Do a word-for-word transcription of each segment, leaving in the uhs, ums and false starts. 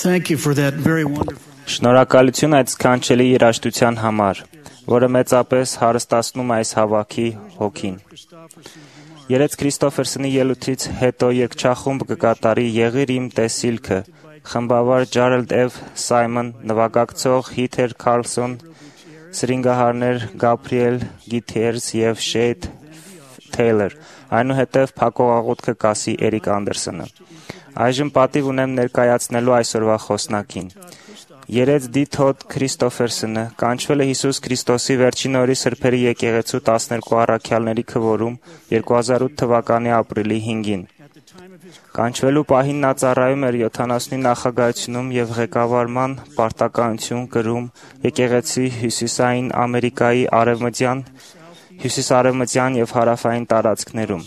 Thank you for that very wonderful. Շնորհակալություն այդ սքանչելի երաժշտության համար, որը մեծապես հարստացնում այս հավաքի հոգին։ Երեց Քրիստոֆերսոնի ելույթից հետո երգչախումբ կկատարի «Եղիր իմ տեսիլքը», խմբավար Ջարալդ Էվ Սայմոն, նվագակցող Հիթեր Քարլսոն, սրինգահարներ Գաբրիել Գիթերս և Շեյդ Թեյլոր, այնուհետև փակողաղոթքը կասի Էրիկ Անդերսոնը։ Այժմ պատիվ ունեմ ներկայացնելու այսօրվա խոսնակին։ Երեց Դի Թոդ Քրիստոֆերսոնը կանչվել է Հիսուս Քրիստոսի վերջին օրի սրբերի եկեղեցու տասներկու առաքյալների քվորում երկու հազար ութ թվականի ապրիլի հինգին։ Կանչվելու պահին նա ծառայում էր յոթանասունի նախագահությունում և ղեկավարման պարտականություն կրում եկեղեցի Հյուսիսային Ամերիկայի արևմտյան, հյուսիսարևմտյան և հարավային տարածքներում։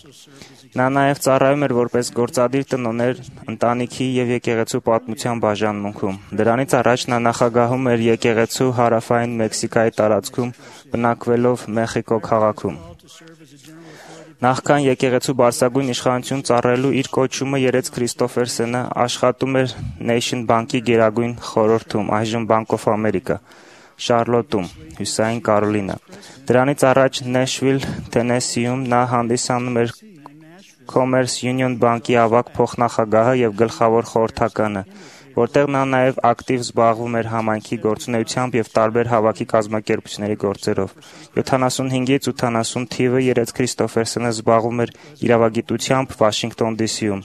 Նա նաև ծառայում էր որպես գործադիր տնօրեն ընտանիքի և եկեղեցու պատմության բաժանմունքում։ Դրանից առաջ նա նախագահում էր եկեղեցու հարավային Մեքսիկայի տարածքում, բնակվելով Մեխիկո քաղաքում։ Նախքան եկեղեցու բարձրագույն իշխանություն ծառայելու իր կոչումը երեց Քրիստոֆերսոնը աշխատում էր Nation Bank-ի գերագույն խորհրդում, այժմ Bank of America, Շարլոտում, Հյուսիսային Կարոլինա։ Դրանից առաջ Նեշվիլ, Թենեսիում նա հանդիսանում էր Commerce Union Bank-ի ավագ փոխնախագահը և գլխավոր խորհրդականը, որտեղ նա նաև ակտիվ զբաղվում էր համայնքի գործունեությամբ և տարբեր հավաքի կազմակերպությունների գործերով։ յոթանասունհինգից ութանասուն թիվը երեց Քրիստոֆերսոնը զբաղվում էր իրավագիտությամբ Վաշինգտոն Դի Սիում։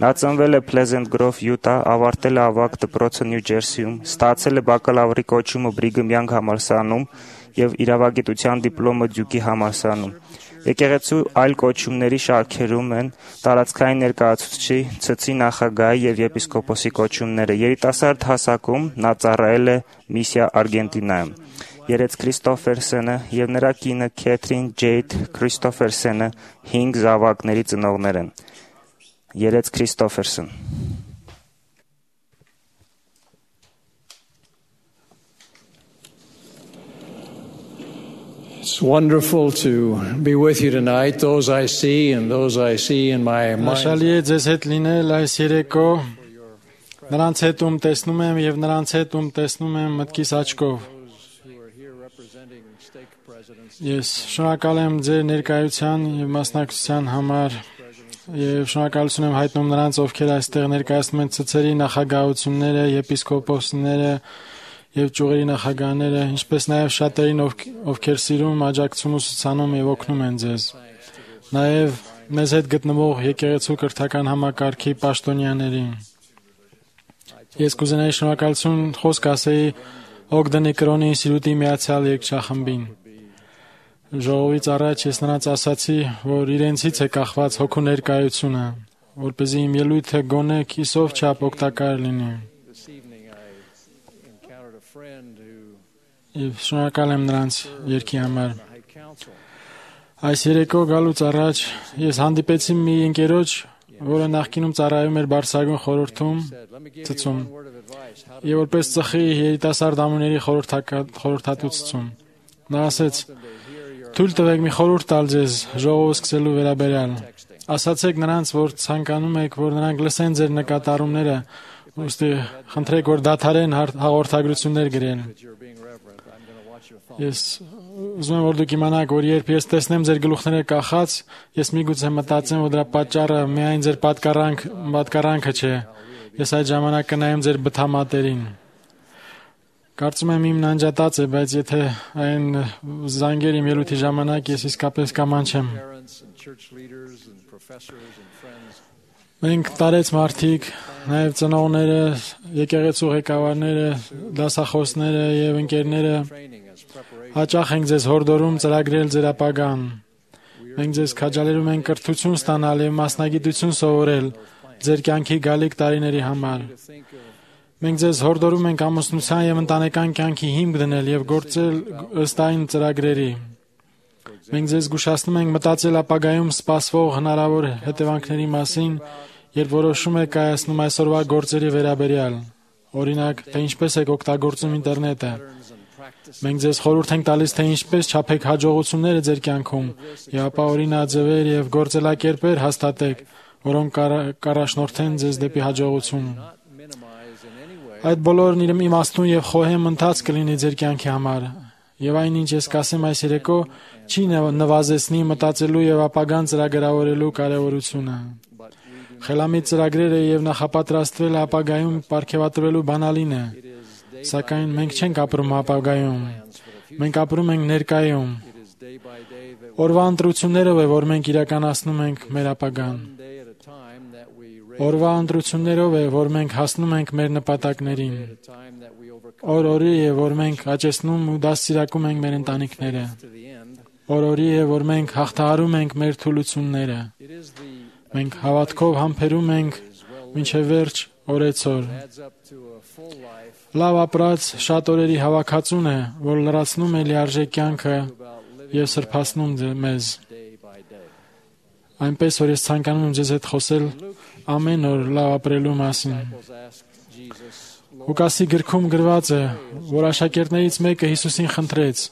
Նա ծնվել է Pleasant Grove, Յուտա, ավարտել է ավագ դպրոցը Նյու Ջերսիում, ստացել է բակալավրի կոչումը Բրիգհամ Յանգ համալսարանում և իրավագիտության դիպլոմը Դյուկի համալսարանում։ Եկեղեցու այլ կոչումների շարքերում են տարածքային ներկայացուցչի, ցցի նախագահի և եպիսկոպոսի կոչումները։ Երիտասարդ հասակում նա ծառայել է Միսիա Արգենտինայում։ Երեց Քրիստոֆերսոնը և նրա կինը Քեթրին Ջեյդ Քրիստոֆերսոնը հինգ զավակների ծնողներ են։ Երեց Քրիստոֆերսոն։ It's wonderful to be with you tonight, those I see and those I see in my mind. Հաշալի է ձեզ հետ լինել այս երեկո, նրանց հետ ում տեսնում եմ և նրանց հետ ում տեսնում եմ մտքիս աչքով։ Ես շնորհակալ եմ ձեր ներկայության և մասնակցության համար և շնորհակալություն եմ հայտնում նրանց, ովքեր այստեղ ներկայացնում են ցցերի նախագահությունները, եպիսկոպոսները և ճյուղերի նախագահները, ինչպես նաև շատերին, ովքեր սիրում, աջակցում, ուսուցանում և օգնում են ձեզ։ Նաև մեզ հետ գտնվող եկեղեցու կրթական համակարգի պաշտոնյաներին։ Ես կուզենայի շնորհակալություն խոսք ասեի Օգդենի կրոնի ինստիտուտի միացյալ երգչախմբին։ Ժողովից առաջ ես նրանց ասացի, որ իրենցից է կախված հոգու ներկայությունը, որպեսզի իմ ելույթը գոնե կիսով չափ օգտակար լինի։ Եվ շնորհակալ եմ նրանց երգի համար։ Այս երեկո գալուց առաջ ես հանդիպեցի մի ընկերոջ, որը նախկինում ծառայում էր բարձրագույն խորհրդում, ցցում, եւ որպես ծխի երիտասարդ ամուների խորհրդատու։ Նա ասեց. «Թույլ տվեք մի խորհուրդ տալ ձեզ ժողովը սկսելու վերաբերյալ։ Ասացեք նրանց, որ ցանկանում եք, որ նրանք լսեն ձեր նկատառումները, ուստի խնդրեք, որ դադարեն հաղորդագրություններ գրել»։ Ես ուզում եմ, որ դուք իմանաք, որ երբ ես տեսնեմ ձեր գլուխները կախած, ես միգուցե մտածեմ, որ դրա պատճառը միայն ձեր պատկառանք, պատկառանքը չէ։ Ես այդ ժամանակ կնայեմ ձեր բթամատերին։ Կարծում եմ իմ նանջատած է, բայց եթե այն զանգեր իմ ելույթի ժամանակ, ես իսկապես կամանչեմ։ Մենք տարեց մարդիկ, նաև ծնողները, եկեղեցու ղեկավարները, դասախոսները և ընկերները հաճախ ենք ձեզ հորդորում ծրագրել ձեր ապագան։ Մենք ձեզ քաջալերում ենք կրթություն ստանալ և մասնագիտություն սովորել ձեր կյանքի գալիք տարիների համար։ Մենք ձեզ հորդորում ենք ամուսնության և ընտանեկան կյանքի հիմք դնել և գործել ըստ այն ծրագրերի։ Մենք ձեզ զգուշացնում ենք մտածել ապագայում սպասվող հնարավոր հետևանքների մասին, երբ որոշում եք կայացնում այսօրվա գործերի վերաբերյալ։ Օրինակ, թե ինչպես եք օգտագործում ինտերնետը։ Մենք ձեզ խորհուրդ ենք տալիս, թե ինչպես չափեք հաջողությունները ձեր կյանքում եւ ապա օրինաձևեր եւ գործելակերպեր հաստատեք, որոնք կառաջնորդեն ձեզ դեպի հաջողություն։ Այդ բոլորն իր իմաստուն եւ խոհեմ ընթաց կլինի ձեր կյանքի համար։ Եվ այնինչ ես կասեմ այս երեկո չի նվազեցնի մտածելու եւ ապագան ծրագրավորելու կարեւորությունը։ Խելամիտ ծրագրերը եւ նախապատրաստվելը ապագայում ապարգևատրվելու բանալին է։ Սակայն մենք չենք ապրում ապագայում։ Մենք ապրում ենք ներկայում։ Օրվա ընտրություններով է, որ մենք իրականացնում ենք մեր ապագան։ Օրվա ընտրություններով է, որ մենք հասնում ենք մեր նպատակներին։ Օր-օրի է, որ մենք աճեցնում ու դաստիարակում ենք մեր ընտանիքները։ Օր-օրի է, որ մենք հաղթահարում ենք մեր թուլությունները։ Մենք հավատքով համբերում ենք մինչև վերջ օրեցօր։ Լավ ապրած շատ օրերի հավաքածուն է, որ լրացնում է լիարժեք կյանքը եւ սրբացնում մեզ։ Այնպես որ ես ցանկանում եմ ձեզ հետ խոսել ամեն օր լավ ապրելու մասին։ Ղուկասի գրքում գրված է, որ աշակերտներից մեկը Հիսուսին խնդրեց.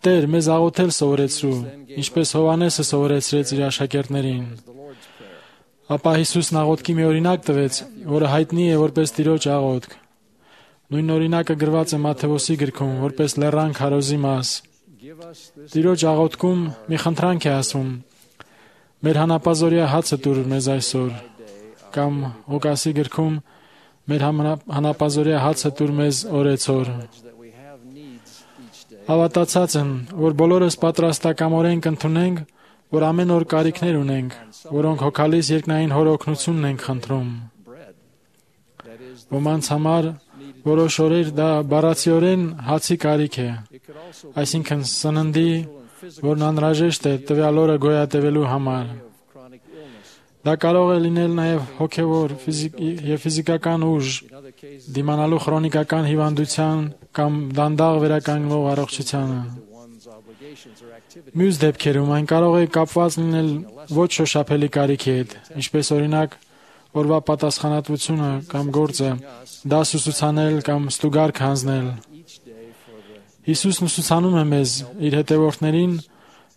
«Տեր, մեզ աղոթել սովորեցրու, ինչպես Հովհաննեսը սովորեցրեց իր աշակերտներին»։ Ապա Հիսուսն աղոթքի մի օրինակ տվեց, որը հայտնի է որպես Տիրոջ աղոթք։ Նույն օրինակը գրված է Մատթեոսի գրքում, որպես լեռան քարոզի մաս։ Տիրոջ աղոթքում մի խնդրանք է ասում. «Մեր հանապազօրյա հացը տուր մեզ այսօր», կամ Ղուկասի գրքում «Մեր հանապազօրյա հացը տուր մեզ օրեցօր»։ Հավատացած եմ, որ բոլորս պատրաստակամորեն կընդունենք, որ ամեն օր կարիքներ ունենք, որոնք հոգալից երկնային Հոր օգնությունն ենք խնդրում։ Ոմանց համար որոշ օրեր դա բառացիորեն հացի կարիք է, այսինքն սննդի, որն անհրաժեշտ է տվյալ օրը գոյատևելու համար։ Դա կարող է լինել նաև հոգևոր եւ ֆիզիկական ուժ, դիմանալու քրոնիկական հիվանդության կամ դանդաղ վերականգնող առողջությանը։ Մյուս դեպքերում այն կարող է կապված լինել ոչ շոշափելի կարիքի հետ, ինչպես օրինակ օրվա պատասխանատվությունը կամ գործը, դաս ուսուցանել կամ ստուգարք հանձնել։ Հիսուսն ուսուցանում է մեզ, իր հետևորդներին,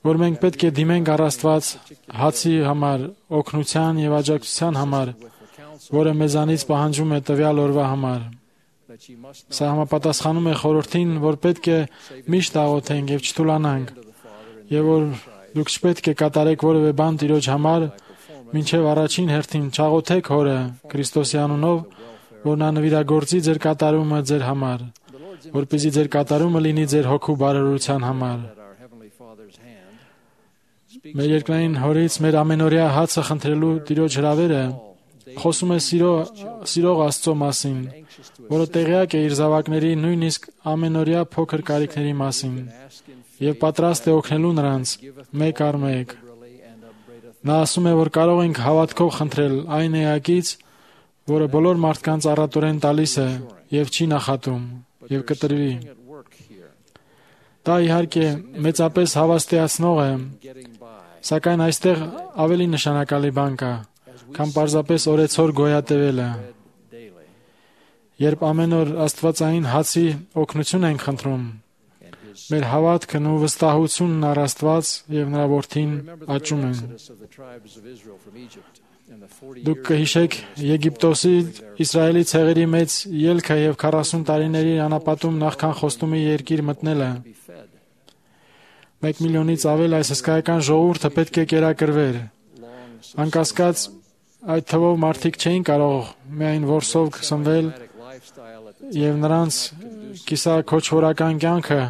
որ մենք պետք է դիմենք առ Աստված հացի համար, օգնության եւ աջակցության համար, որը մեզանից պահանջում է տվյալ օրվա համար։ Սա համապատասխանում է խորհրդին, որ պետք է միշտ աղոթենք եւ չթուլանանք, եւ որ դուք չպետք է կատարեք որևէ բան Տիրոջ համար, մինչև առաջին հերթին չաղոթեք Հորը Քրիստոսի անունով, որ նա նվիրագործի ձեր կատարումը ձեր համար, որպեսզի ձեր կատարումը լինի ձեր հոգու բարօրության համար։ Մեր երկնային Հորից մեր ամենօրյա հացը խնդրելու Տիրոջ հրավերը խոսում է սիրո, սիրող Աստծո մասին, որը տեղյակ է իր զավակների նույնիսկ ամենօրյա փոքր կարիքների մասին եւ պատրաստ է օգնելու նրանց մեկ առ մեկ։ Նա ասում է, որ կարող ենք հավատքով խնդրել այն Էակից, որը բոլոր մարդկանց առատորեն տալիս է եւ չի նախատում եւ կտրվի։ Դա իհարկե մեծապես հավաստիացնող է, սակայն այստեղ ավելի նշանակալի բան կա, քան պարզապես օրեցօր գոյատևելը։ Երբ ամեն օր Աստվածային հացի օգնություն ենք խնդրում, մեր հավատքն ու վստահությունն առ Աստված եւ նրա որդին աճում են։ Դուք կհիշեք Եգիպտոսի Իսրայելի ցեղերի մեծ ելքը եւ քառասուն տարիների անապատում նախքան խոստումի երկիր մտնելը։ Մեկ միլիոնից ավել այս հսկայական ժողովուրդը պետք է կերակրվեր։ Անկասկած այդ թվով մարդիկ չէին կարող միայն որսով սնվել եւ նրանց կիսաքոչվորական կյանքը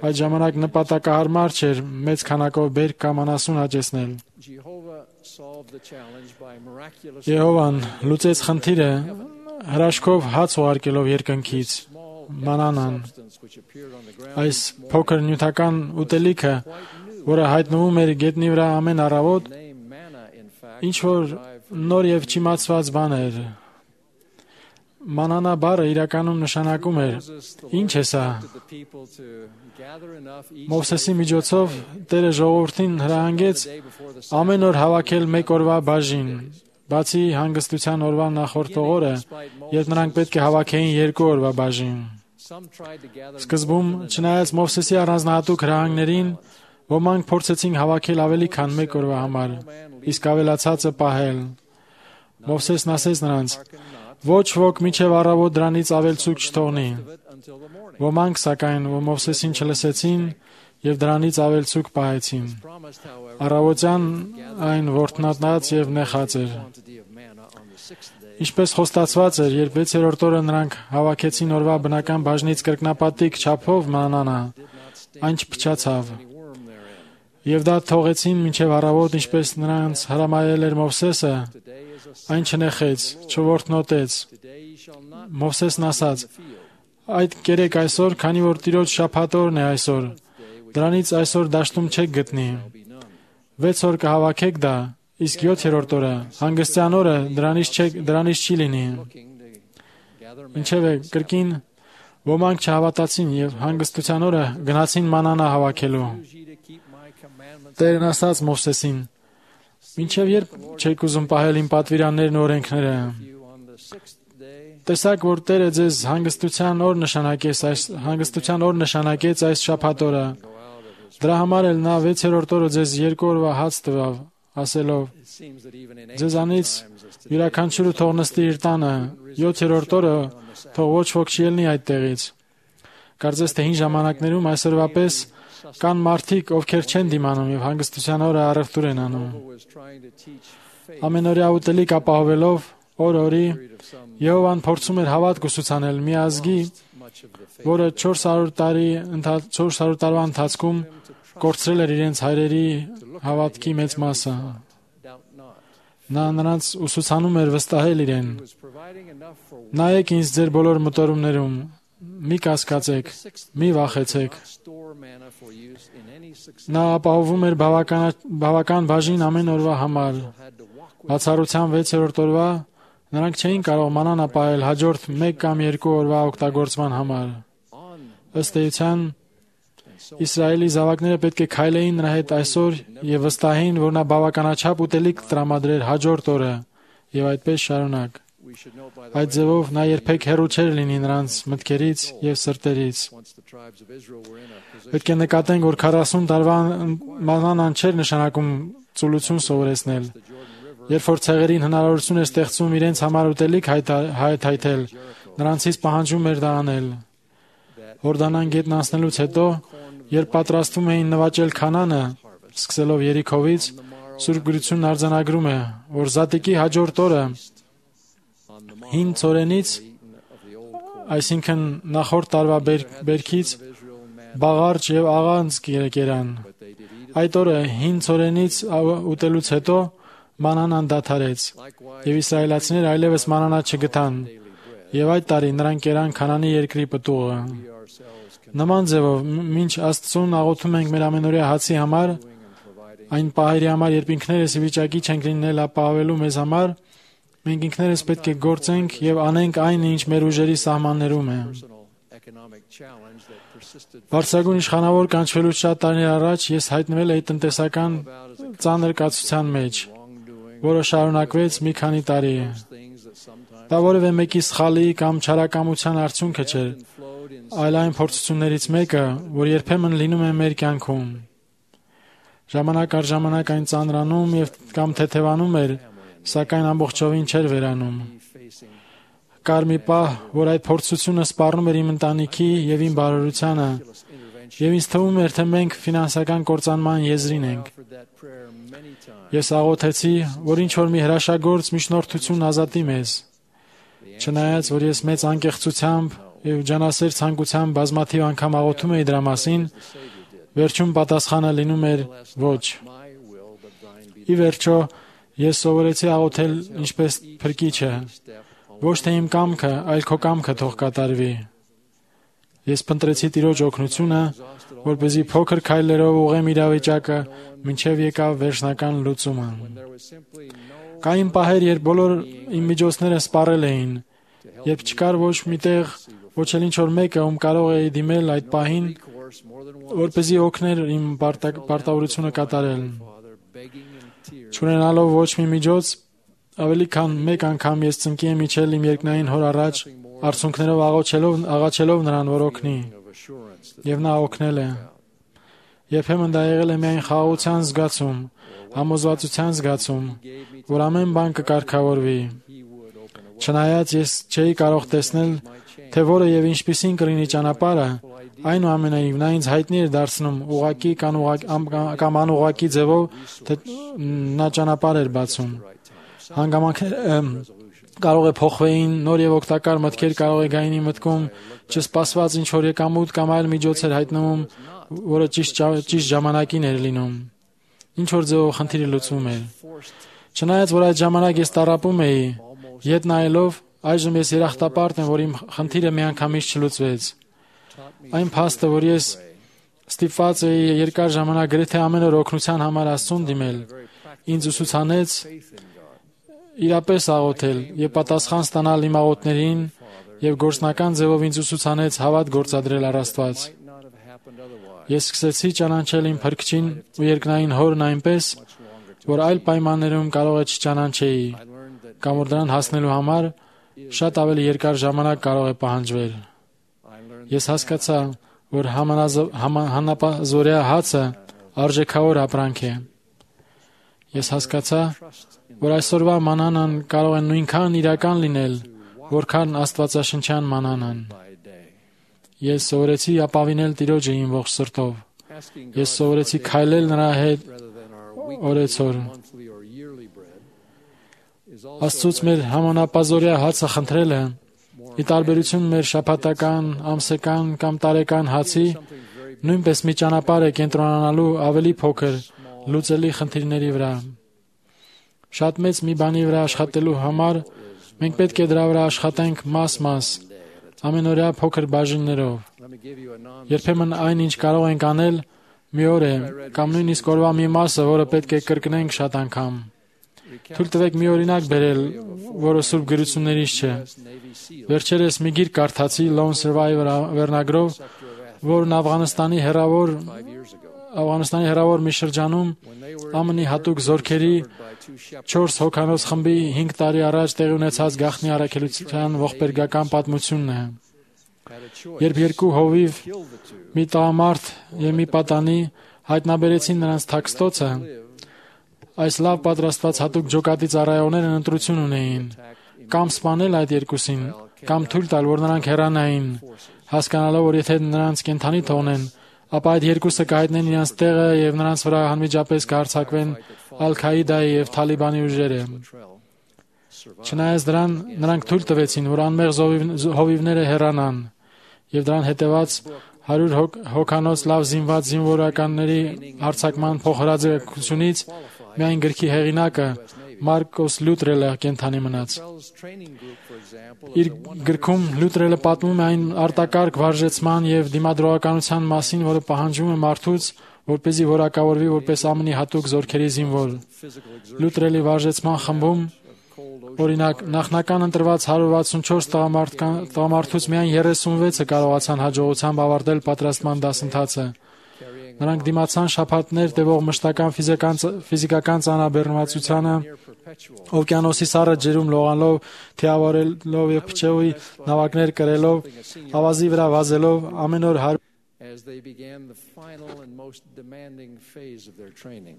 այդ ժամանակ նպատակահարմար չէր մեծ քանակով բերք կամ անասուն աճեցնել։ Եհովան լուծեց խնդիրը հրաշքով հաց ուղարկելով երկնքից, մանանան։ Այս փոքր նյութական ուտելիքը, որը հայտնվում էր գետնի վրա ամեն առավոտ, ինչ որ նոր եւ չիմացված բան էր։ Մանանա բառը իրականում նշանակում էր. ինչ է սա։ Մովսեսի միջոցով Տերը ժողովրդին հրահանգեց ամեն օր հավաքել մեկ օրվա բաժին, բացի հանգստության օրվա նախորդ օրը, երբ նրանք պետք է հավաքեին երկու օրվա բաժին։ Սկզբում, չնայած Մովսեսի առանձնահատուկ հրահանգներին, ոմանք փորձեցին հավաքել ավելի քան մեկ օրվա համար, իսկ ավելացածը պահել։ Մովսեսն ասեց նրանց. Ոչ ոք միջև առավոտ դրանից ավելցուկ չթողնի։ Ոմանք սակայն, որ Մովսեսին չլսեցին եւ դրանից ավելցուկ պահեցին։ Առավոտյան այն ворթնատած եւ նեխած էր։ Ինչպես խոստացված էր, երբ վեցերորդ օրը նրանք հավաքեցին օրվա բնական բաժնից կրկնապատիկ չափով մանանա, այն չփչացավ։ Եվ դա թողեցին մինչև առավոտ, ինչպես նրանց հրամայել էր Մովսեսը, այն չնեխեց, չворթնոտեց։ Մովսեսն ասաց. «Այդ կերեք այսօր, քանի որ Տիրոջ շաբաթօրն է այսօր, դրանից այսօր դաշտում չեք գտնի։ Վեց օր կհավաքեք դա, իսկ յոթերորդ օրը, հանգստյան օրը, դրանից չեք, դրանից չի լինի»։ Ինչևէ, կրկին ոմանք չհավատացին եւ հանգստության օրը գնացին մանանա հավաքելու։ Տերն ասաց Մովսեսին. «Մինչև երբ չեք ուզում պահել իմ պատվիրաններն ու օրենքները։ Տեսակ, որ Տերը ձեզ հանգստության օր նշանակեց այս հանգստության օր նշանակեց այս շաբաթ օրը։ Դրա համար էլ նա վեցերորդ օրը ձեզ երկու օրվա հաց տվավ, ասելով. ձեզանից յուրաքանչյուրը թող նստի իր տանը, յոթերորդ օրը թող ոչ ոք չի ելնի այդ տեղից։ Կարծես թե հին ժամանակներում այսօրվա պես կան մարդիկ, ովքեր չեն դիմանում եւ հանգստության օրը առևտուր են անում։ Ամենօրյա ուտելիք ապահովելով օր-օրի Եհովան փորձում էր հավատք ուսուցանել մի ազգի, որը չորս հարյուր տարի չորս հարյուր տարվա ընթացքում կորցրել էր իրենց հայրերի հավատքի մեծ մասը։ Նա նրանց ուսուցանում էր վստահել իրեն։ Նայեք ինձ ձեր բոլոր մտորումներում, մի կասկածեք, մի վախեցեք։ Նա ապահովում էր բավական, բավական բաժին ամեն օրվա համար։ Բացառության վեցերորդ օրվա նրանք չէին կարող մանան ապահել հաջորդ մեկ կամ երկու օրվա օգտագործման համար։ Ըստ էության, Իսրայելի զավակները պետք է քայլեին նրա հետ այսօր եւ վստահեին, որ նա բավականաչափ ուտելիք տրամադրեր հաջորդ օրը եւ այդպես շարունակ։ Այդ ձևով նա երբեք հեռու չէր լինի նրանց մտքերից եւ սրտերից։ Պետք է նկատենք, որ քառասուն տարվա մանանան չէր նշանակում ծուլություն սովորեցնել։ Երբ որ ցեղերին հնարավորություն էր ստեղծում իրենց համար ուտելիք հայթայթել, նրանցից պահանջում էր դա անել։ Հորդանան գետն անցնելուց հետո, երբ պատրաստվում էին նվաճել Քանանը, սկսելով Երիքովից, Սուրբ Գրությունն արձանագրում է, որ Զատիկի հաջորդ օրը հին ծորենից, այսինքն նախորդ տարվա բերքից, բաղարջ եւ աղանց կերան։ Այդ օրը հին ծորենից ուտելուց հետո մանանան դադարեց, եւ իսրայելացիները այլևս մանանա չգտան, եւ այդ տարի նրանք կերան Քանանի երկրի պտուղը։ Նման ձևով, մինչ Աստծուն աղոթում ենք մեր ամենօրյա հացի համար, այն պահերի համար, երբ ինքներս ի վիճակի չենք լինել ապահովելու մեզ համար, մենք ինքներս պետք է գործենք եւ անենք այն, ինչ մեր ուժերի սահմաններում է։ Վարսագույն իշխանավոր կանչվելուց շատ տարիներ առաջ ես հայտնվել էի տնտեսական ծանր կացության մեջ, որը շարունակվեց մի քանի տարի։ Դա որևէ մեկի սխալի կամ չարակամության արդյունքը չէր, այլ այն փորձություններից մեկը, որ երբեմն լինում է մեր կյանքում։ Ժամանակ առ ժամանակ այն ծանրանում եւ կամ թեթևանում էր, սակայն ամբողջովին չէր վերանում։ Կար մի պահ, որ այդ փորձությունը սպառնում էր իմ ընտանիքի եւ իմ բարօրությանը, եւ ինձ թվում էր, թե մենք ֆինանսական կործանման եզրին ենք։ Ես աղոթեցի, որ ինչ որ մի հրաշագործ միջնորդություն ազատի մեզ։ Չնայած, որ ես մեծ անկեղծությամբ եւ ջանասեր ցանկությամբ բազմաթիվ անգամ աղոթում էի դրա մասին, վերջում պատասխանը լինում էր ոչ։ Ի վերջո, ես սովորեցի աղոթել ինչպես փրկիչը, ոչ թե իմ կամքը, այլ քո կամքը թող կատարվի։ Ես փնտրեցի Տիրոջ օգնությունը, որպեսզի փոքր քայլերով ուղղեմ իրավիճակը, մինչև եկավ վերջնական լուծումը։ Կային պահեր, երբ բոլոր իմ միջոցները սպառել էին, երբ չկար ոչ մի տեղ, ոչ էլ ինչ որ մեկը, ում կարող էի դիմել այդ պահին, որպեսզի օգներ իմ պարտավորությունը կատարել։ Չունենալով ոչ մի միջոց, ավելի քան մեկ անգամ ես ծնկի եմ իջել իմ երկնային Հոր առաջ, արցունքներով աղոչելով, աղաչելով նրան, որ օգնի, եւ նա օգնել է։ Երբեմն դա եղել է միայն խաղաղության զգացում, համոզվածության զգացում, որ ամեն բան կկարգավորվի։ Չնայած ես չէի կարող տեսնել, թե որը եւ ինչպիսին կլինի ճանապարհը, այնուամենայնիվ նա ինձ հայտնի էր դարձնում ուղակի կամ կամ անուղակի ձևով, թե նա ճանապարհ էր բացում։ Հանգամանքները կարող է փոխվեին, նոր եւ օգտակար մտքեր կարող է գային մտքում, չսպասված ինչ որ եկամուտ կամ այլ միջոց էր հայտնվում, որը ճիշտ ճիշտ ժամանակին էր լինում։ Ինչ որ ձևով խնդիրը լուծվում էր։ Չնայած որ այդ ժամանակ ես տառապում էի, ետ նայելով, այժմ ես երախտապարտ եմ, որ իմ խնդիրը միանգամից չլուծվեց։ Այն փաստը, որ ես ստիպված էի երկար ժամանակ գրեթե ամեն օր օգնության համար Աստծուն դիմել, ինձ ուսուցանեց իրապես աղոթել եւ պատասխան ստանալ իմ աղոթներին եւ գործնական ձևով ինձ ուսուցանեց հավատ գործադրել առ Աստված։ Ես սկսեցի ճանաչել իմ Փրկչին ու երկնային Հորն այնպես, որ այլ պայմաններում կարող է չճանաչեի, կամ որ դրան հասնելու համար շատ ավելի երկար ժամանակ կարող է պահանջվել։ Ես հասկացա, որ հանապազորյա հացը արժեքավոր ապրանք է։ Ես հասկացա, որ այսօրվա մանանան կարող է նույնքան իրական լինել, որքան աստվածաշնչյան մանանան։ Ես սովորեցի ապավինել Տիրոջը իմ ողջ սրտով։ Ես սովորեցի քայլել նրա հետ օրեցօր։ Աստծուց մեր համանապազորյա հացը խնդրելը, ի տարբերություն մեր շաբաթական, ամսական կամ տարեկան հացի, նույնպես մի ճանապարհ է կենտրոնանալու ավելի փոքր, լուծելի խնդիրների վրա։ Շատ մեծ մի բանի վրա աշխատելու համար մենք պետք է դրա վրա աշխատենք մաս-մաս, ամենօրյա փոքր բաժիններով։ Երբեմն այն, ինչ կարող ենք անել, մի օր է, կամ նույնիսկ օրվա մի մասը, որը պետք է կրկնենք շատ անգամ։ Թույլ տվեք մի օրինակ բերել, որը Սուրբ գրություններից չէ։ Վերջերս մի գիրք կարդացի Lone Survivor վերնագրով, որն Աֆղանստանի հեռավոր Աֆղանստանի հեռավոր մի շրջանում ԱՄՆ-ի հատուկ զորքերի չորս հոգանոց խմբի հինգ տարի առաջ տեղի ունեցած գաղտնի առաքելության ողբերգական պատմությունն է։ Երբ երկու հովիվ, մի տղամարդ եւ մի պատանի հայտնաբերեցին նրանց թաքստոցը, այս լավ պատրաստված հատուկ ջոկատի ծառայողներն ընտրություն ունեին, կամ սպանել այդ երկուսին, կամ թույլ տալ, որ նրանք հեռանային, հասկանալով, որ եթե նրանց կենդանի թողնեն, ապա այդ երկուսը կհայտնեն իրենց տեղը եւ նրանց վրա անմիջապես կհարձակվեն Ալ-Քաիդայի եւ Թալիբանի ուժերը։ Չնայած դրան, նրանք թույլ տվեցին, որ անմեղ հովիվները հեռանան, եւ դրան հետեւած հարյուր հոգանոց լավ զինված զինվորականների հարձակման փոխհրաձգությունից միայն գրքի հեղինակը Մարկոս Լյուտրելը կենդանի մնաց։ Իր գրքում Լյուտրելը պատմում է այն արտակարգ վարժեցման եւ դիմադրողականության մասին, որը պահանջվում է մարդուց, որպեսզի որակավորվի որպես ԱՄՆ-ի հատուկ զորքերի զինվոր։ Լյուտրելի վարժեցման խմբում, օրինակ, նախնական ընտրված հարյուր վաթսունչորս տղամարդուց միայն երեսունվեցը կարողացան հաջողությամբ ավարտել պատրաստման դասընթացը։ Նրանք դիմացան շաբաթներ տևող մշտական ֆիզիկական ծանրաբեռնվածությանը, օվկիանոսի սառը ջրում լողալով, թիավորելով եւ փչեուի նավակներ կրելով, ավազի վրա վազելով, ամեն օր հարյուր as they began the final and most demanding phase of their training.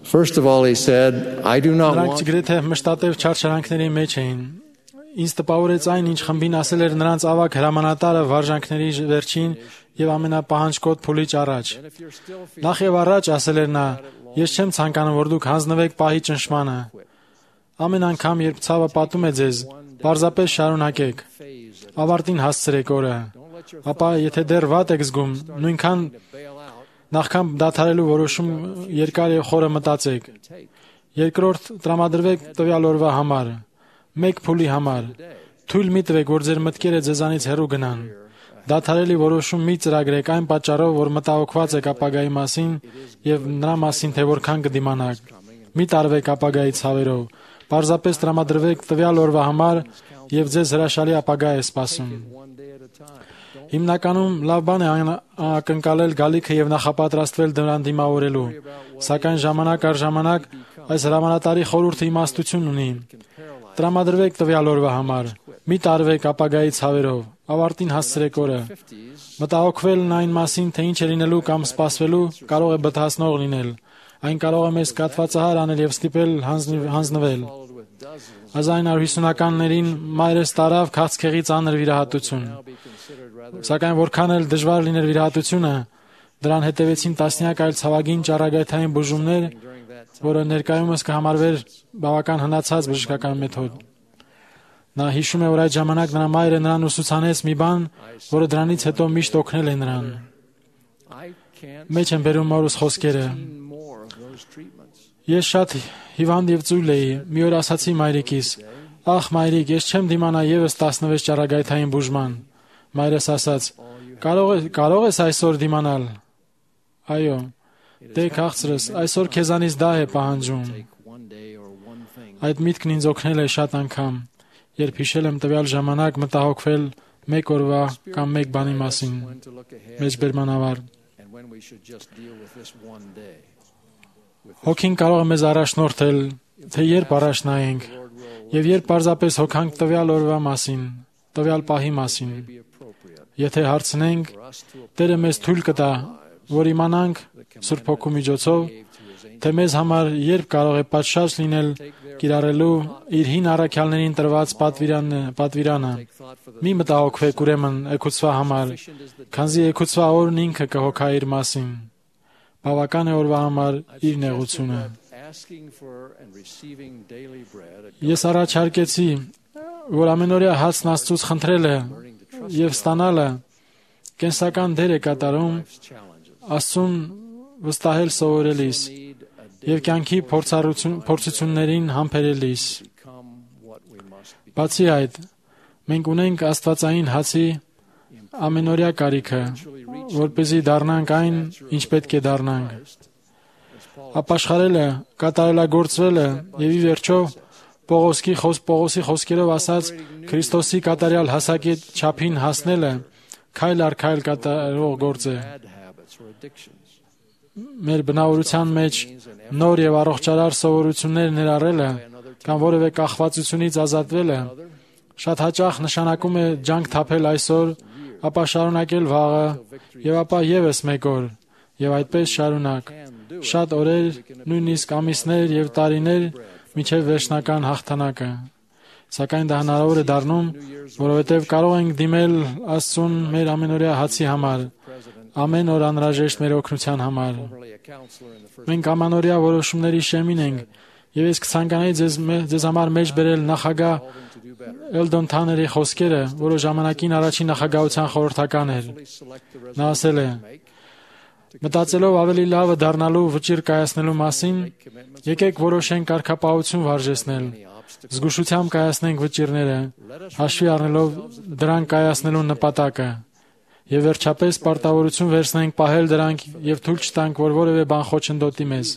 First of all, he said, I do not want... Նրանք գրեթե մշտատև չարչարանքների մեջ էին։ Ինձ տպավորեց այն, ինչ խմբին ասել էր նրանց ավագ հրամանատարը վարժանքների վերջին եւ ամենապահանջկոտ փուլից առաջ։ Նախ եւ առաջ ասել էր նա, ես չեմ ցանկանում, որ դուք հանձնվեք պահի ճնշմանը։ Ամեն անգամ, երբ ցավը պատում է ձեզ, պարզապես շարունակեք։ Ավարտին հասցրեք օրը։ Ապա եթե դեռ վատ եք զգում, նույնքան նախքան դադարելու որոշում երկար եւ խորը մտածեք։ Երկրորդ, տրամադրվեք տվյալ օրվա համար, մեկ փուլի համար։ Թույլ մի տվեք, որ ձեր մտքերը ձեզանից հեռու գնան։ Դադարելի որոշում մի ծրագրեք այն պատճառով, որ մտահոգված եք ապագայի մասին եւ նրա մասին, թե որքան կդիմանաք։ Մի տարվեք ապագայի ցավերով։ Պարզապես տրամադրվեք տվյալ օրվա համար եւ ձեզ հրաշալի ապագա է սպասում։ Հիմնականում լավ բան է ակնկալել գալիքը եւ նախապատրաստվել դրան դիմավորելու, սակայն ժամանակ առ ժամանակ այս հրամանատարի խորհուրդը իմաստություն ունի։ Տրամադրվեք տվյալ օրվա համար, մի տարվեք ապագայի ցավերով, ավարտին հասցրեք օրը։ Մտահոգվելն այն մասին, թե ինչ է լինելու կամ սպասվելու, կարող է բթացնող լինել։ Այն կարող է մեզ կաթվածահար անել եւ ստիպել հանձնվել։ հազար իննյակ հիսունականներին մայրս տարավ քաղցկեղի ծանր վիրահատություն։ Սակայն որքան էլ դժվար լիներ վիրահատությունը, դրան հետևեցին տասնյակ այլ ցավագին ճառագայթային բուժումներ, որը ներկայումս կհամարվեր բավական հնացած բժշկական մեթոդ։ Նա հիշում է, որ այդ ժամանակ նրա մայրը նրան ուսուցանեց մի բան, որը դրանից հետո միշտ օգնել է նրան։ Մեջ են բերում մորուս խոսքերը։ Ես շատ հիվանդ եւ ծույլ էի։ Մի օր ասացի մայրիկիս. «Ախ, մայրիկ, ես չեմ դիմանա եւս տասնվեց ճառագայթային բուժման»։ Մայրս ասաց. «Կարող ես, կարող ես այսօր դիմանալ»։ Այո, դե քաղցրս, այսօր քեզանից դա է պահանջում։ Այդ միտքն ինձ օգնել է շատ անգամ, երբ հիշել եմ տվյալ ժամանակ մտահոգվել մեկ օրվա կամ մեկ բանի մասին։ Մեջբերմանավար։ Հոգին կարող է մեզ առաջնորդել, թե երբ առաջ նայենք, եւ երբ պարզապես հոգանք տվյալ օրվա մասին, տվյալ պահի մասին։ Եթե հարցնենք, Տերը մեզ թույլ կտա, որ իմանանք Սուրբ Հոգու միջոցով, թե մեզ համար երբ կարող է պատշաճ լինել կիրառելու իր հին առաքյալներին տրված պատվիրանը։ Մի մտահոգվեք ուրեմն էգուծվա համար, քանզի էգուծվա օրն ինքը կհոգա իր մասին։ Բավական է օրվա համար իր նեղությունը։ Ես առաջարկեցի, որ ամենօրյա հացն Աստծուց խնդրելը եւ ստանալը կենսական դեր է կատարում Աստծուն վստահել սովորելիս եւ կյանքի փորձություններին համբերելիս։ Բացի այդ, մենք ունենք աստվածային հացի ամենօրյա կարիքը, որպեսզի դառնանք այն, ինչ պետք է դառնանք։ Ապաշխարելը, կատարելագործվելը եւ ի վերջո Պողոսի Պողոսի խոսքերով ասած Քրիստոսի կատարյալ հասակետ չափին հասնելը քայլ առ քայլ կատարող գործ է։ Մեր բնավորության մեջ նոր եւ առողջարար սովորություններ ներառելը կամ որևէ կախվածությունից ազատվելը շատ հաճախ նշանակում է ջանք թափել այսօր, ապա շարունակել վաղը եւ ապա եւս մեկ օր եւ այդպես շարունակ։ Շատ օրեր, նույնիսկ ամիսներ եւ տարիներ մինչեւ վերջնական հաղթանակը։ Սակայն դա հնարավոր է դառնում, որովհետեւ կարող ենք դիմել Աստծուն մեր ամենօրյա հացի համար, ամեն օր անհրաժեշտ մեր օգնության համար։ Մենք ամանորյա որոշումների շեմին ենք, եւ ես կցանկանայի ձեզ, ձեզ համար մեջ բերել նախագահ Էլդոն Թաների խոսքերը, որը ժամանակին առաջին նախագահության խորհրդական էր։ Նա ասել է. «Մտածելով ավելի լավը դառնալու վճիռ կայացնելու մասին, եկեք որոշենք կարգապահություն վարժեցնել, զգուշությամբ կայացնենք վճիռները, հաշվի առնելով դրանք կայացնելու նպատակը, եւ վերջապես պարտավորություն վերցնենք պահել դրանք եւ թույլ չտանք, որ որևէ բան խոչընդոտի մեզ։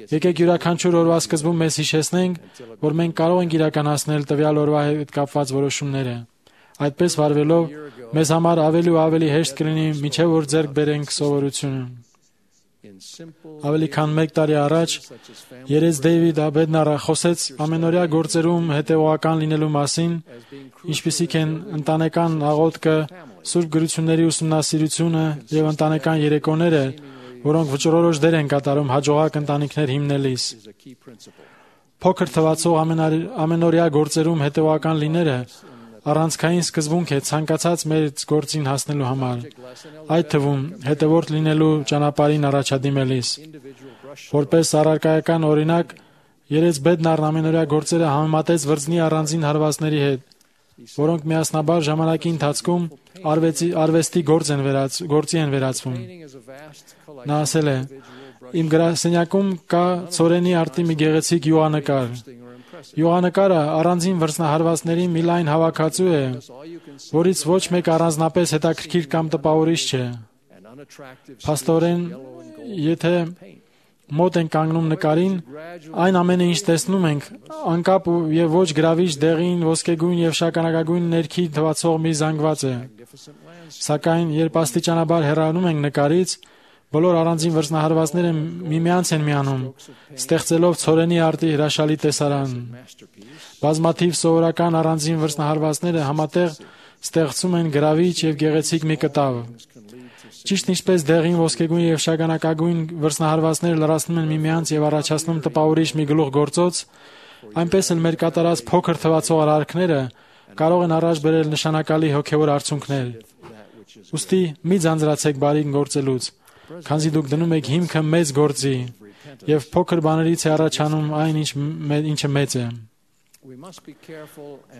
Եկեք յուրաքանչյուր օրվա սկզբում մեզ հիշեցնենք, որ մենք կարող ենք իրականացնել տվյալ օրվա հետ կապված որոշումները։ Այդպես վարվելով, մեզ համար ավելի ու ավելի հեշտ կլինի մինչև որ ձեռք բերենք սովորությունը»։ Ավելի քան մեկ տարի առաջ երես Դեյվիդ Աբեդնարը խոսեց ամենօրյա գործերում հետևողական լինելու մասին, ինչպիսիք են ընտանեկան աղոթքը, սուրբ գրությունների ուսումնասիրությունը եւ ընտանեկան երեկոները, որոնք վճռորոշ դեր են կատարում հաջողակ ընտանիքներ հիմնելիս։ Փոքր թվացող ամենօրյա գործերում հետևողական լինելը առանցքային սկզբունք է ցանկացած մեծ գործին հասնելու համար, այդ թվում հետևորդ լինելու ճանապարհին առաջադիմելիս։ Որպես առարկայական օրինակ, երես Բեդնարն ամենօրյա գործերը համեմատեց վրձնի առանձին հարվածների հետ, որոնք միասնաբար ժամանակի ընթացքում արվեստի, արվեստի գործ են վերած, գործի են վերածվում։ Նա ասել է. «Իմ գրասենյակում կա ցորենի արտի մի գեղեցիկ յուղանկար։ Յուղանկարը առանձին վրձնահարվածների մի լայն հավաքածու է, որից ոչ մեկ առանձնապես հետաքրքիր կամ տպավորիչ չէ։ Փաստորեն, եթե մոտ ենք կանգնում նկարին, այն ամենը, ինչ տեսնում ենք, անկապ եւ ոչ գրավիչ դեղին, ոսկեգույն եւ շագանակագույն ներքի թվացող մի զանգված է։ Սակայն, երբ աստիճանաբար հեռանում ենք նկարից, բոլոր առանձին վրձնահարվածները միմյանց են միանում, ստեղծելով ցորենի արտի հրաշալի տեսարան։ Բազմաթիվ սովորական առանձին վրձնահարվածները համատեղ ստեղծում են գրավիչ եւ գեղեցիկ մի կտավ։ Ճիշտ ինչպես դեղին, ոսկեգույն եւ շագանակագույն վրձնահարվածները լրացնում են միմյանց եւ առաջացնում տպավորիչ մի գլուխ գործոց, այնպես էլ մեր կատարած փոքր թվացող արարքները կարող են առաջ բերել նշանակալի հոգևոր արդյունքներ։ Ուստի մի ձանձրացեք բարին գործելուց, քանզի դուք դնում եք հիմքը մեծ գործի, եւ փոքր բաներից է առաջանում այն, ինչ ինչը մեծ է։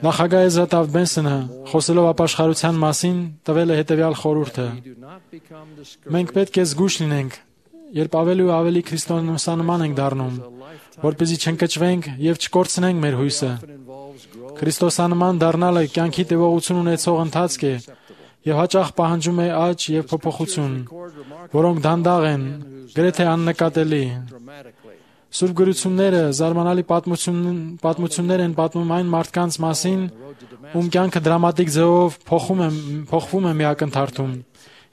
Նախագահ Էզրա Տավթ Բենսոնը, խոսելով ապաշխարության մասին, տվել է հետևյալ խորհուրդը. Մենք պետք է զգույշ լինենք, երբ ավելի ու ավելի քրիստոնեանման ենք դառնում, որպեսզի չընկճվենք եւ չկորցնենք մեր հույսը։ Քրիստոսանման դառնալը կյանքի տևողություն ունեցող ընթացք է եւ հաճախ պահանջում է աճ եւ փոփոխություն, որոնք դանդաղ են, գրեթե աննկատելի։ Սուրբ գրությունները զարմանալի պատմություններ են պատմում այն մարդկանց մասին, ում կյանքը դրամատիկ ձևով փոխում է, փոխվում է մի ակնթարթում,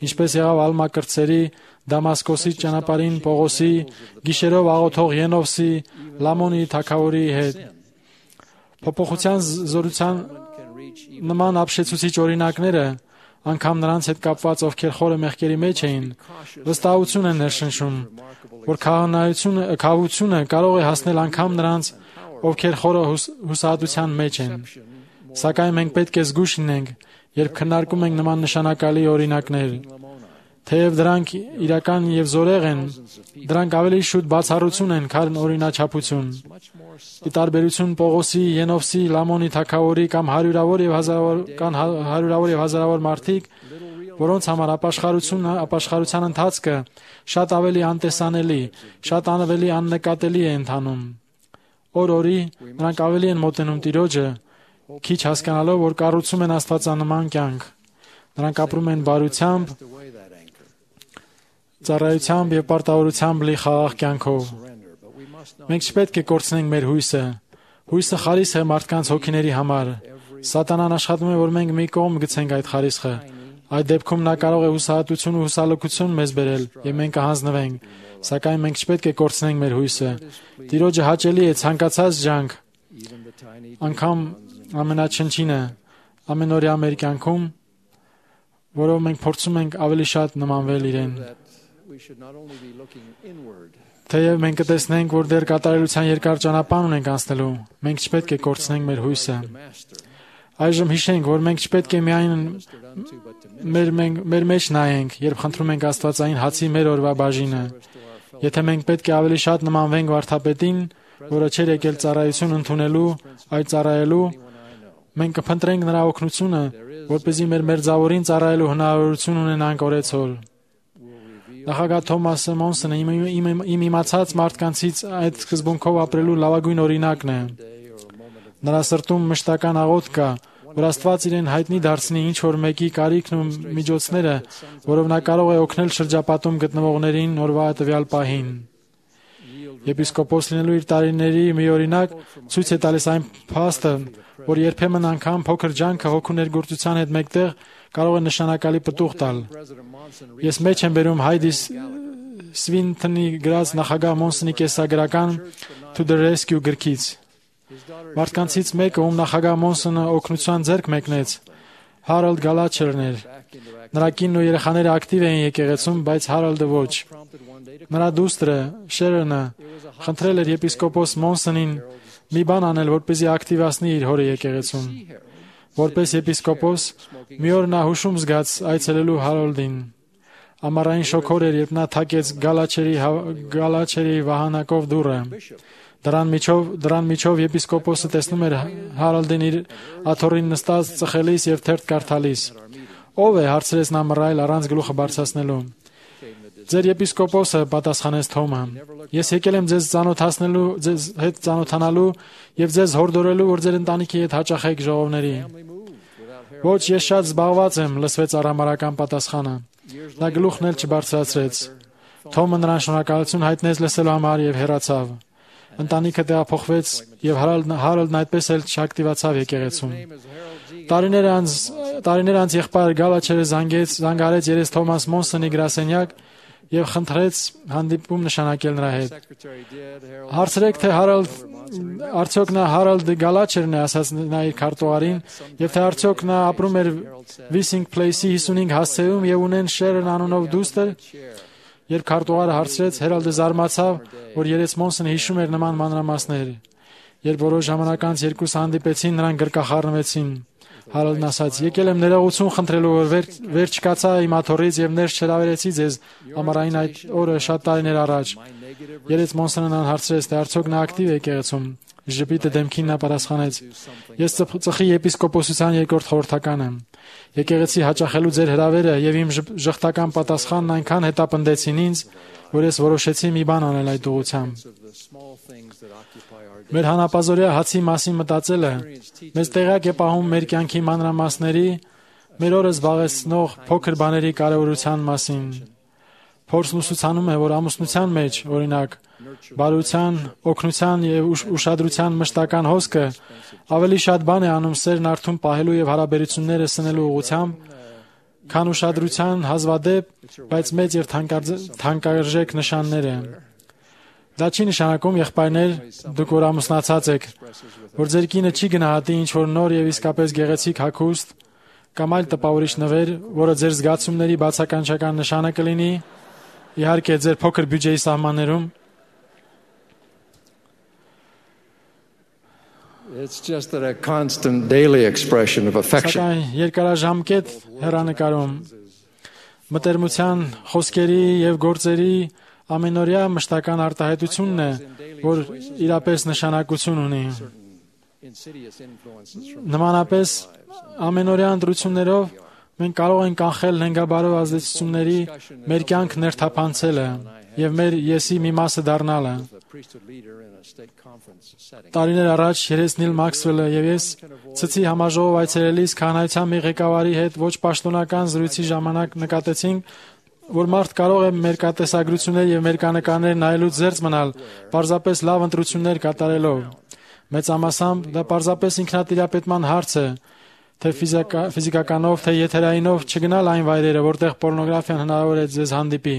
ինչպես եղավ Ալմա կրտսերի, Դամասկոսի ճանապարհին Պողոսի, գիշերով աղոթող Ենովսի, Լամոնի թագավորի հետ։ Փոփոխության զորության նման ապշեցուցիչ օրինակները, անգամ նրանց հետ կապված, ովքեր խորը մեղքերի մեջ էին, վստահություն են ներշնչում, որ քահանայությունը, քահությունը կարող է հասնել անգամ նրանց, ովքեր խորը հուսահատության մեջ են։ Սակայն մենք պետք է զգույշ լինենք, երբ քննարկում ենք նման նշանակալի օրինակներ։ Թեև դրանք իրական եւ զորեղ են, դրանք ավելի շուտ բացառություն են, քան օրինաչափություն։ Ի տարբերություն Պողոսի, Ենովսի, Լամոնի թագավորի կամ հարյուրավոր եւ հազարավոր կան հարյուրավոր եւ հազարավոր մարդիկ, որոնց համար ապաշխարությունը, ապաշխարության ընթացքը շատ ավելի անտեսանելի, շատ ավելի աննկատելի է ընթանում։ Օր-օրի նրանք ավելի են մոտենում Տիրոջը, քիչ հասկանալով, որ կառուցում են աստվածանման կյանք։ Նրանք ապրում են բարությամբ, ծառայությամբ եւ պարտավորությամբ լի խաղաղ կյանքով։ Մենք չպետք է կորցնենք մեր հույսը։ Հույսը խարիսխ է մարդկանց հոգիների համար։ Սատանան աշխատում է, որ մենք մի կողմ գցենք այդ խարիսխը։ Այդ դեպքում նա կարող է հուսահատություն ու հուսալքություն մեզ բերել, եւ մենք կհանձնվենք։ Սակայն մենք չպետք է կորցնենք մեր հույսը։ Տիրոջը հաճելի է ցանկացած ջանք, անգամ ամենաչնչինը, ամենօրյա մեր կյանքում, որով մենք փորձում ենք ավելի շատ նմանվել իրեն։ Թեև մենք կտեսնենք, որ դեռ կատարելության երկար ճանապարհ ունենք անցնելու, մենք չպետք է կորցնենք մեր հույսը։ Այժմ հիշենք, որ մենք չպետք է միայն մեր, մեր, մեր մեջ նայենք, երբ խնդրում ենք Աստվածային հացի մեր օրվա բաժինը։ Եթե մենք պետք է ավելի շատ նմանվենք վարդապետին, որը չէր եկել ծառայություն ընդունելու, այլ ծառայելու, մենք կփնտրենք նրա օգնությունը, որպեսզի մեր մերձավորին ծառայելու հնարավորություն ունենանք օրեցօր։ Նախագահ Թոմասը Մոնսոնը իմ, իմ, իմ իմացած մարդկանցից այդ սկզբունքով ապրելու լավագույն օրինակն է։ Նրա սրտում մշտական աղոթ կա, որ Աստված իրեն հայտնի դարձնի ինչ որ մեկի կարիքն ու միջոցները, որով նա կարող է օգնել շրջապատում գտնվողներին օրվա տվյալ պահին։ Եպիսկոպոս լինելու իր տարիների մի օրինակ ցույց է տալիս այն փաստը, որ երբեմն անգամ փոքր ջանքը հոգու ներգործության հետ մեկտեղ կարող է նշանակալի պտուղ տալ։ Ես մեջ եմ բերում Հայդի Սվինթոնի գրած նախագահ Մոնսոնի կեսագրական To the Rescue գրքից։ Մարդկանցից մեկը, ում նախագահ Մոնսոնը օգնության ձեռք մեկնեց, Հարալդ Գալաչերն էր։ Նրա կինն ու երեխաները ակտիվ էին եկեղեցում, բայց Հարալդը ոչ։ Նրա դուստրը Շերոնը խնդրել էր եպիսկոպոս Մոնսոնին մի բան անել, որպեսզի ակտիվացնի իր հորը եկեղեցում։ Որպես եպիսկոպոս, մի օր նա հուշում զգաց այցելելու Հարալդին։ Ամառային շոգոր էր, երբ նա թակեց Գալաչերի Գալաչերի վահանակով դուռը։ Դրան միջով, դրան միջով եպիսկոպոսը տեսնում էր Հարալդին իր աթոռին նստած ծխելիս եւ թերթ կարդալիս։ Ո՞վ է, հարցրեց նա մռայլ առանց գլուխը բարձրացնելու։ Ձեր եպիսկոպոսը, պատասխանեց Թոմը։ Ես եկել եմ ձեզ ծանոթացնելու, ձեզ հետ ծանոթանալու եւ ձեզ հորդորելու, որ ձեր ընտանիքի հետ հաճախեք ժողովների։ Ոչ, ես շատ զբաղված եմ, լսվեց արհամարհական պատասխանը։ Նա գլուխն էլ չբարձրացրեց։ Թոմը նրան շնորհակալություն հայտնեց լսելու համար եւ հեռացավ։ Ընտանիքը տեղափոխվեց եւ Հարալդն այդպես էլ չակտիվացավ եկեղեցում։ Տարիներ անց տարիներ անց եղբայր Գալաչերը զանգեց, զանգարեց երես Թոմաս Մոնսոնի գրասենյակ եւ խնդրեց հանդիպում նշանակել նրա հետ։ Հարցրեք, թե Հարալդ արդյոք նա Հարալդ Գալաչերն է, ասաց նա իր քարտուղարին, եւ թե արդյոք նա ապրում էր Վիսինգ Փլեյսի հիսունհինգ հասցեում եւ ունեն Շերոն անունով դուստր։ Երբ քարտուղարը հարցրեց, Հարալդը զարմացավ, որ երես Մոնսոնը հիշում էր նման մանրամասներ։ Երբ որոշ ժամանակ անց երկուսը հանդիպեցին, նրանք գրկախառնվեցին։ Հարոլդն ասաց. «Եկել եմ ներողություն խնդրելու, որ վեր, վեր չկացա իմ աթոռից եւ ներս չհրավերեցի ձեզ ամառային այդ օրը շատ տարիներ առաջ»։ Երեց Մոնսոնն հարցրեց, թե արդյոք նա ակտիվ է եկեղեցում։ Ժպիտը դեմքին նա պատասխանեց. «Ես ծխի եպիսկոպոսության երկրորդ խորհրդական եմ։ Եկեղեցի հաճախելու ձեր հրավերը եւ իմ ժխտական պատասխանն այնքան հետապնդեցին ինձ, որ ես որոշեցի մի բան անել այդ ուղղությամբ»։ Մեր հանապազօրյա հացի մասին մտածելը մեզ տեղյակ է պահում մեր կյանքի մանրամասների, մեր օրը զբաղեցնող փոքր բաների կարևորության մասին։ Փորձն ուսուցանում է, որ ամուսնության մեջ, օրինակ, բարության, օգնության եւ ուշադրության մշտական հոսքը ավելի շատ բան է անում սերն արթուն պահելու եւ հարաբերությունները սնելու ուղղությամբ, քան ուշադրության հազվադեպ, բայց մեծ եւ թանկարժեք նշանները։ Դա չի նշանակում, եղբայրներ, դուք որ ամուսնացած եք, որ ձեր կինը չի գնահատի ինչ-որ նոր եւ իսկապես գեղեցիկ հագուստ կամ այլ տպավորիչ նվեր, որը ձեր զգացումների բացականչական նշանը կլինի, իհարկե ձեր փոքր բյուջեի սահմաններում։ It's just that a constant daily expression of affection. Սակայն երկարաժամկետ հեռանկարում մտերմության խոսքերի եւ գործերի ամենօրյա մշտական արտահայտությունն է, որ իրապես նշանակություն ունի։ Նմանապես ամենօրյա ընտրություններով մենք կարող ենք կանխել նենգաբարով ազդեցությունների մեր կյանք ներթափանցելը եւ մեր եսի մի մասը դառնալը։ Տարիներ առաջ երես Նիլ Մաքսվելը եւ ես ցցի համաժողով այցելելիս քահանայության մի ղեկավարի հետ ոչ պաշտոնական զրույցի ժամանակ նկատեցինք, որ մարդ կարող է մեր կատեսագրություններ եւ մեր կանեկաներ նայելուց զերծ մնալ, պարզապես լավ ընտրություններ կատարելով։ Մեծամասամբ դա պարզապես ինքնատիրապետման հարց է, թե ֆիզիկականով, թե եթերայինով չգնալ այն վայրերը, որտեղ պորնոգրաֆիան հնարավոր է ձեզ հանդիպի։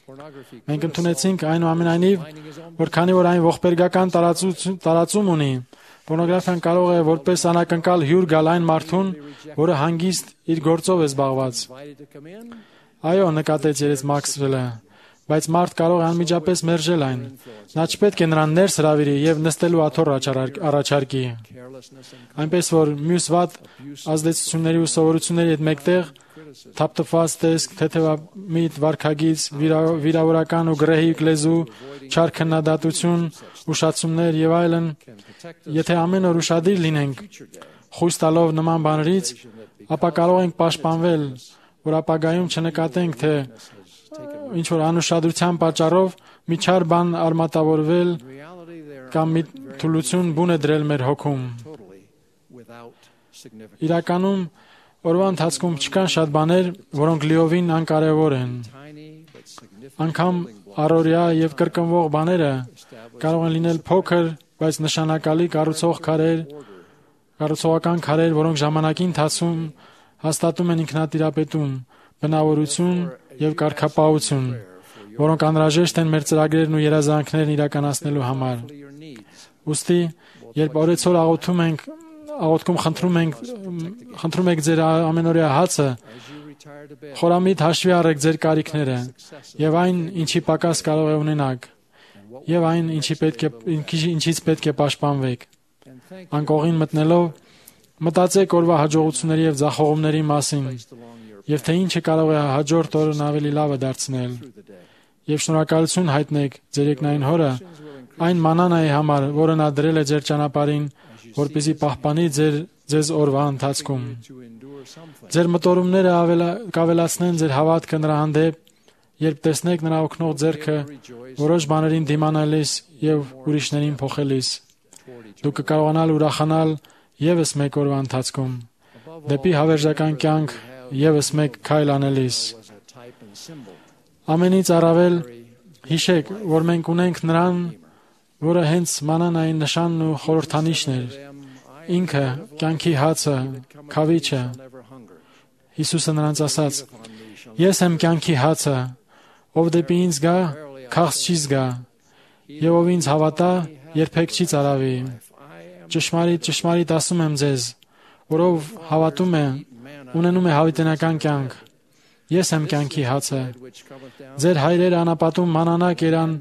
Մենք ընդունեցինք այնուամենայնիվ, որ քանի որ այն ողբերգական տարածում ունի, պորնոգրաֆիան կարող է որպես անակնկալ հյուր գալ այն մարդուն, որը հանգիստ իր գործով է զբաղված։ Այո, նկատեց երես Մաքսվելը, բայց մարդ կարող է անմիջապես մերժել այն։ Նա չպետք է նրան ներս հրավիրի եւ նստելու աթոռ առաջարկի։ Այնպես որ մյուս վատ ազդեցությունների ու սովորությունների հետ մեկտեղ թափթփված տեսք, թեթևամիտ վարքագիծ, վիրավորական ու գրեհիկ լեզու, չար քննադատություն, ուշացումներ եւ այլն, եթե ամեն օր ուշադիր լինենք, խույս տալով նման բաներից, ապա կարող ենք պաշտպանվել, որ ապագայում չնկատենք, թե ինչ որ անուշադրության պատճառով մի չար բան արմատավորվել կամ մի թուլություն բուն է դրել մեր հոգում։ Իրականում օրվա ընթացքում չկան շատ բաներ, որոնք լիովին անկարևոր են։ Անկամ առօրյա եւ կրկնվող բաները կարող են լինել փոքր, բայց նշանակալի կառուցող քարեր, կառուցողական քարեր, որոնք ժամանակի ընթացքում հաստատում են ինքնատիրապետում, բնավորություն եւ կարգապահություն, որոնք անհրաժեշտ են մեր ծրագրերն ու երազանքներն իրականացնելու համար։ Ուստի, երբ օրեցօր աղոթում ենք, աղոթքում խնդրում ենք, խնդրում եք ձեր ամենօրյա հացը, խորամիտ հաշվի առեք ձեր կարիքները եւ այն, ինչի պակաս կարող է ունենաք, եւ այն, ինչի պետք է, ինչից պետք է պաշտպանվեք։ Անկողին մտնելով, մտածեք օրվա հաջողությունների եւ ձախողումների մասին, եւ թե ինչը կարող է հաջորդ օրն ավելի լավը դարձնել։ Եվ շնորհակալություն հայտնեք ձեր երկնային Հորը այն մանանայի համար, որը նա դրել է ձեր ճանապարհին, որպեսզի պահպանի ձեր ձեզ օրվա ընթացքում։ Ձեր մտորումները կավելացնեն ձեր հավատքը նրա հանդեպ, երբ տեսնեք նրա օգնող ձեռքը որոշ բաներին դիմանալիս եւ ուրիշներին փոխելիս։ Դուք կկարողանալ ուրախանալ եւս մեկ օրվա ընթացքում, դեպի հավերժական կյանք եւս մեկ քայլ անելիս։ Ամենից առավել հիշեք, որ մենք ունենք նրան, որը հենց մանանային նշանն ու խորհրդանիշն էր, ինքը կյանքի հացը, քավիչը։ Հիսուսը նրանց ասաց. «Ես եմ կյանքի հացը, ով դեպի ինձ գա, քաղց չի զգա, եւ ով ինձ հավատա, երբեք չի ծարավի։ Ճշմարիտ, ճշմարիտ ասում եմ ձեզ, որով հավատում է, ունենում է հավիտենական կյանք։ Ես եմ կյանքի հացը։ Ձեր հայրերը անապատում մանանա կերան,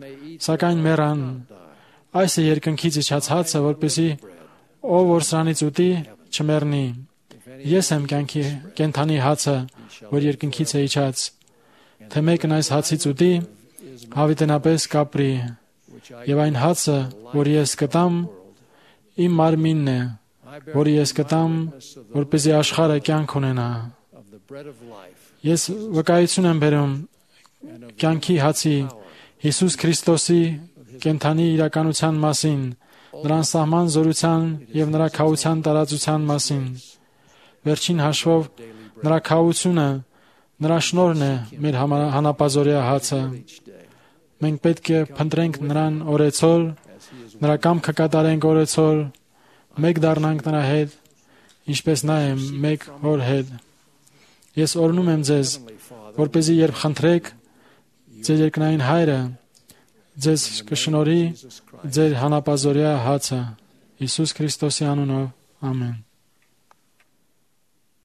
սակայն մեռան։ Այս է երկնքից իջած հացը, որպեսզի ով որ սրանից ուտի, չմեռնի։ Ես եմ կյանքի կենթանի հացը, որ երկնքից է իջած։ Թե մեկն այս հացից ուտի, հավիտենապես կապրի, եւ այն հացը, որ ես կտամ, իմ մարմինն է, որը ես կտամ, որպեսզի աշխարհը կյանք ունենա։ Ես վկայություն եմ բերում կյանքի հացի Հիսուս Քրիստոսի կենթանի իրականության մասին, նրա սահման զորության եւ նրա քահության տարածության մասին։ Վերջին հաշվով նրա քահությունը, նրա շնորհն է մեր հանապազորյա հացը։ Մենք պետք է փնտրենք նրան օրեցօր, նրա կամքը կատարենք օրեցօր, մեկ դառնանք նրա հետ, ինչպես նա է մեկ հոր հետ։ Ես օրհնում եմ ձեզ, որպեսզի երբ խնդրեք, ձեր երկնային Հայրը ձեզ կշնորհի ձեր հանապազորյա հացը Հիսուս Քրիստոսի անունով։ Ամեն։